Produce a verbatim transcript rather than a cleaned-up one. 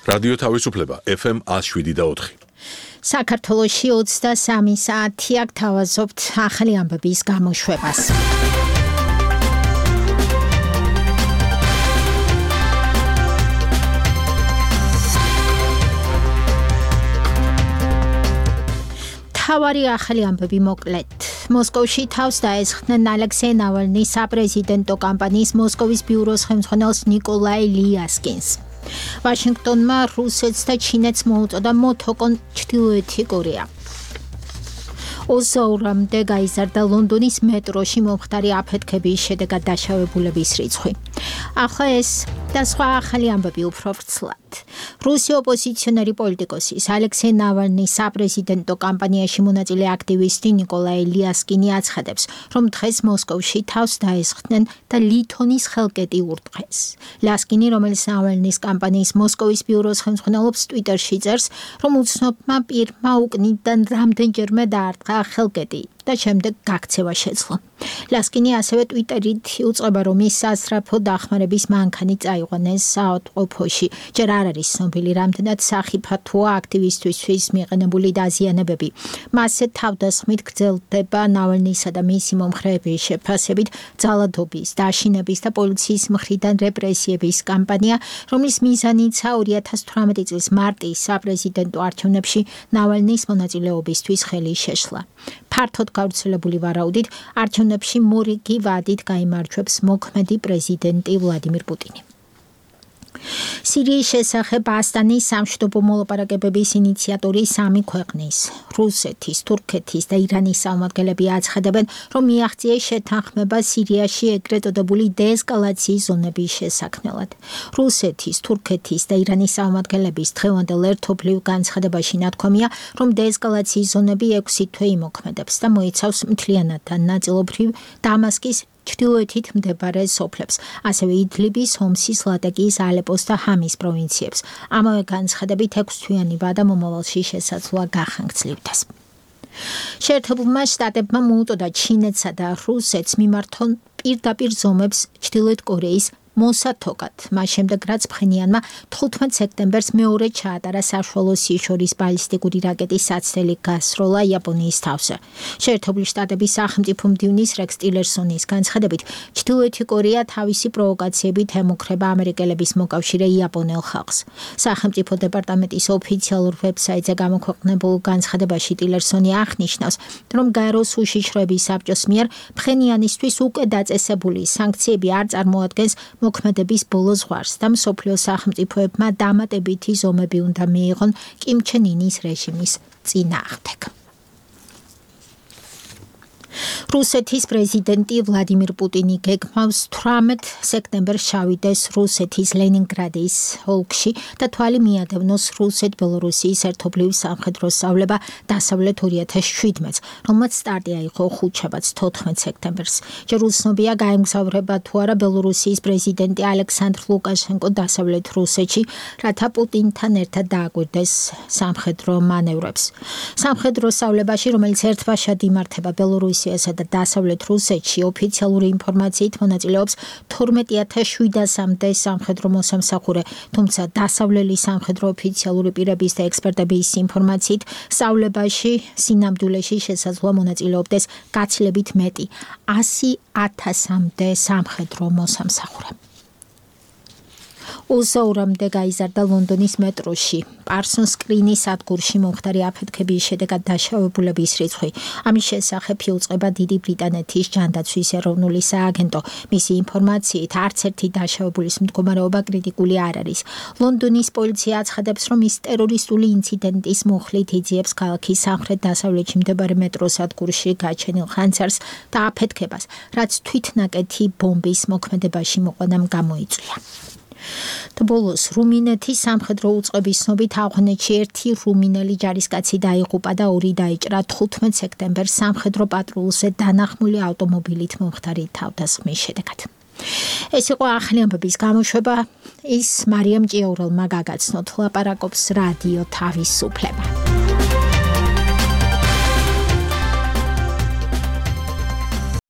რადიო თავისუფლება F M one oh seven და four. საქართველოში ოცდასამი საათია გთავაზობთ ახალი ამბების გამოშვებას. თავარი ახალი ამბები მოკლედ. მოსკოვში თავს დაესხდნენ ალექსეი ნავალნის საპრეზიდენტო კამპანიის მოსკოვის ბიუროს ხელმძღვანელს ნიკოლაი ლიასკინს. ვაშინგტონმა რუსეთს და ჩინეთს მოუწოდა მოთოკონ ჩრდილოეთი კორეა. ოცდაორმდე გაიზარდა ლონდონის მეტროში მომხდარი აფეთქების შედეგად დაშავებულების რიცხვი. ახლა ეს და სხვა ახალი ამბები უფრო ვრცლად. რუსი ოპოზიციონერი პოლიტიკოსის ალექსეი ნავალნის საპრეზიდენტო კამპანიაში მონაწილე აქტივისტი ნიკოლაი ლიასკინი აცხადებს, რომ დღეს მოსკოვში თავს დაესხდნენ და ლითონის ხელკეტი ურტყეს. ლიასკინი, რომელიც ნავალნის კამპანიის მოსკოვის ბიუროს ხელმძღვანელობს, ტვიტერში წერს, რომ უცნობმა პირმა უკნიდან რამდენჯერმე დაარტყა ხელკეტი და შემდეგ გაქცევა შეძლო. ლიასკინი ასევე ტვიტერით იუწყება, რომ ის სასწრაფო დახმარების მანქანი წაიყვანეს საავადმყოფოში. ჯერ არ არის ცნობილი, რამდენად სახიფათოა აქტივისტისთვის მიყენებული დაზიანებები. მასზე თავდასხმით გრძელდება ნავალნისა და მისი მომხრეების შეფასებით ძალადობის, დაშინების და პოლიციის მხრიდან რეპრესიების კამპანია, რომლის მიზანიცა ორი ათას თვრამეტი წლის მარტის საპრეზიდენტო არჩევნებში ნავალნის მონაწილეობისთვის ხელი შეშლა. ფართოდ გავრცელებული ვარაუდით, არჩევნებში მორიგი ვადით გაიმარჯვებს მოქმედი პრეზიდენტი ვლადიმირ პუტინი. სირიის შესახებ ასტანის სამშვიდობო მოლაპარაკებების ინიციატორი სამი ქვეყნის, რუსეთის, თურქეთის და ირანის წარმომადგენლები აცხადებენ, რომ მიაღწიეს შეთანხმება სირიაში ეგრეთ წოდებული დეესკალაციის ზონების შესაქმნელად. რუსეთის, თურქეთის და ირანის წარმომადგენლების დღევანდელ ერთობლივ განცხადებაში ნათქვამია, რომ დეესკალაციის ზონები ექვსი თვე იმოქმედებს და მოიცავს მთლიანად და ნაწილობრივ დამასკის ჩრდილოეთით მდებარე სოფლებს, ასევე იდლიბის, ჰომსის, ლატაკიის, ალეპოს და ჰამის პროვინციებს. ამავე განცხადებით ექვსთვიანი ვადა მომავალში შესაძლოა გახანგრძლივდეს. შეერთებულმა შტატებმა მოუწოდა ჩინეთსა და რუსეთს მიმართონ პირდაპირ ზომებს ჩრდილოეთ კორეის მოსათოკად, მას შემდეგ რაც ფხენიანმა თხუთმეტ სექტემბერს მეორე ჩაატარა საშუალო სიშორის ბალისტიკური რაკეტის საცდელი გასროლა იაპონიის თავზე. შეერთებული შტატების სახელმწიფო მდივნის რექს ტილერსონის განცხადებით, ჩრდილოეთი კორეა თავისი პროვოკაციებით ემუქრება ამერიკელების მოკავშირე იაპონელ ხალხს. სახელმწიფო დეპარტამენტის ოფიციალურ ვებსაიტზე გამოქვეყნებულ განცხადებაში ტილერსონი აღნიშნავს, რომ გაეროს უშიშროების საბჭოს მიერ ფხენიანისთვის უკვე დაწესებული სანქციები არ წარმოადგენს მოქმედების ბოლო ზღვარს და მსოფლიო სახელმწიფოებმა დამატებითი ზომები უნდა მიიღონ კიმ ჩენ ინის რეჟიმის წინააღმდეგ. რუსეთის პრეზიდენტი ვლადიმირ პუტინი გეგმავს თვრამეტ სექტემბერს ჩავიდეს რუსეთის ლენინგრადის ოლქში და თვალი მიადევნოს რუსეთ-ბელორუსიის ერთობლივ სამხედრო სწავლება დასავლეთ ორი ათას შვიდმეტს, რომელმაც სტარტი აიღო ხუთშაბათს თოთხმეტ სექტემბერს. ჯერ უცნობია გაემგზავრება თუ არა ბელორუსიის პრეზიდენტი ალექსანდრ ლუკაშენკო დასავლეთ რუსეთში, რათა პუტინთან ერთად დააკვირდეს სამხედრო მანევრებს. სამხედრო სწავლებაში, რომელიც ერთბაშად იმართება ბელორუსიასა და დასავლეთ რუსეთში, ოფიციალური ინფორმაციით მონაწილეობს თორმეტი ათას შვიდასამდე სამხედრო მოსამსახურე, თუმცა დასავლელი სამხედრო ოფიციალური პირების და ექსპერტების ინფორმაციით სწავლებაში სინამდვილეში შესაძლოა მონაწილეობდეს გაცილებით მეტი ასი ათასამდე სამხედრო მოსამსახურე. ოცდაორმდე გაიზარდა ლონდონის მეტროში პარსონ სკრინის სადგურში მომხდარი აფეთქების შედეგად დაშავებულების რიცხვი. ამის შესახებ იუწყება დიდი ბრიტანეთის ჯანდაცვის ეროვნული სააგენტო. მისი ინფორმაციით არც ერთი დაშავებულის მდგომარეობა კრიტიკული არ არის. ლონდონის პოლიცია აცხადებს, რომ ის ტერორისტული ინციდენტის მუხლით იძიებს ქალაქის სამხრეთ-დასავლეთში მდებარე მეტროს სადგურში გაჩენილ ხანძარს და აფეთქებას, რაც თვითნაკეთი ბომბის მოქმედებაში მოყვანამ გამოიწვია. და ბოლოს რუმინეთის სამხედრო უწყების ცნობით ავღანეთში ერთი რუმინელი ჯარისკაცი დაიღუპა და ორი დაიჭრა თხუთმეტ სექტემბერს სამხედრო პატრულზე დანახმული ავტომობილით მომხდარი თავდასხმის შედეგად. ეს იყო ახალი ამბების გამოშვება, ის მარიამ ჭიაურელმა გაგაცნოთ, ლაპარაკობს რადიო თავისუფლება.